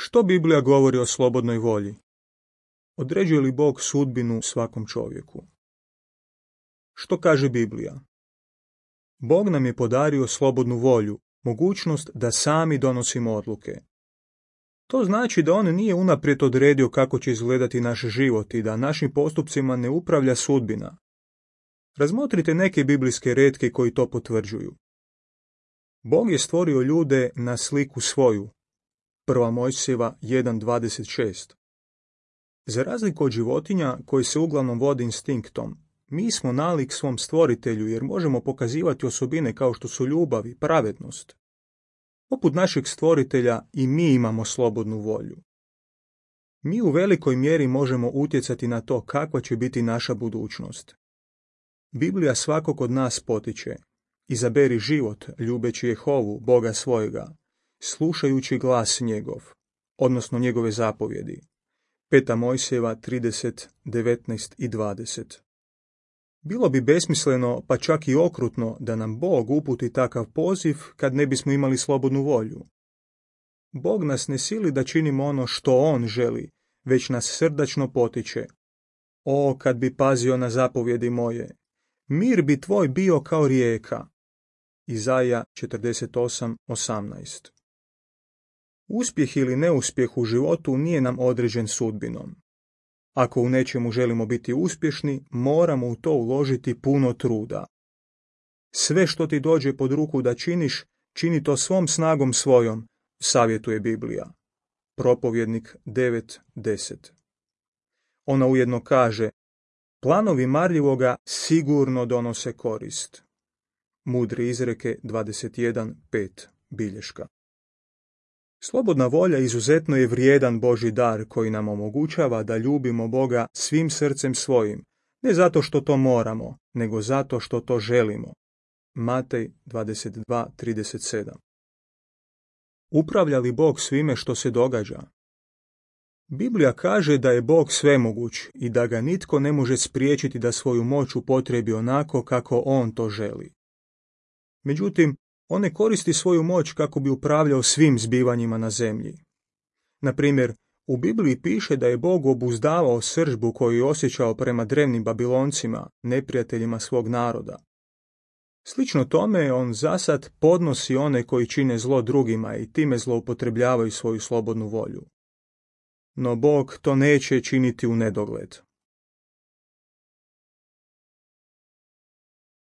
Što Biblija govori o slobodnoj volji? Određuje li Bog sudbinu svakom čovjeku? Što kaže Biblija? Bog nam je podario slobodnu volju, mogućnost da sami donosimo odluke. To znači da on nije unaprijed odredio kako će izgledati naš život i da našim postupcima ne upravlja sudbina. Razmotrite neke biblijske retke koji to potvrđuju. Bog je stvorio ljude na sliku svoju. 1. Mojsijeva 1.26. Za razliku od životinja koji se uglavnom vode instinktom, mi smo nalik svom stvoritelju jer možemo pokazivati osobine kao što su ljubav i pravednost. Poput našeg stvoritelja i mi imamo slobodnu volju. Mi u velikoj mjeri možemo utjecati na to kakva će biti naša budućnost. Biblija svakog od nas potiče: izaberi život ljubeći Jehovu, Boga svojega, slušajući glas njegov, odnosno njegove zapovjedi. 5. Mojsijeva 30, 19 i 20. Bilo bi besmisleno, pa čak i okrutno, da nam Bog uputi takav poziv kad ne bismo imali slobodnu volju. Bog nas ne sili da činimo ono što On želi, već nas srdačno potiče: o, kad bi pazio na zapovjedi moje, mir bi tvoj bio kao rijeka. Izaja 48:18. Uspjeh ili neuspjeh u životu nije nam određen sudbinom. Ako u nečemu želimo biti uspješni, moramo u to uložiti puno truda. Sve što ti dođe pod ruku da činiš, čini to svom snagom svojom, savjetuje Biblija. Propovjednik 9:10. Ona ujedno kaže: planovi marljivoga sigurno donose korist. Mudre izreke 21:5 bilješka. Slobodna volja izuzetno je vrijedan Božji dar koji nam omogućava da ljubimo Boga svim srcem svojim, ne zato što to moramo, nego zato što to želimo. Matej 22:37. Upravlja li Bog svime što se događa? Biblija kaže da je Bog svemoguć i da ga nitko ne može spriječiti da svoju moć upotrebi onako kako On to želi. Međutim, on ne koristi svoju moć kako bi upravljao svim zbivanjima na zemlji. Na primjer, u Bibliji piše da je Bog obuzdavao srdžbu koju je osjećao prema drevnim Babiloncima, neprijateljima svog naroda. Slično tome, on zasad podnosi one koji čine zlo drugima i time zloupotrebljavaju svoju slobodnu volju. No Bog to neće činiti u nedogled.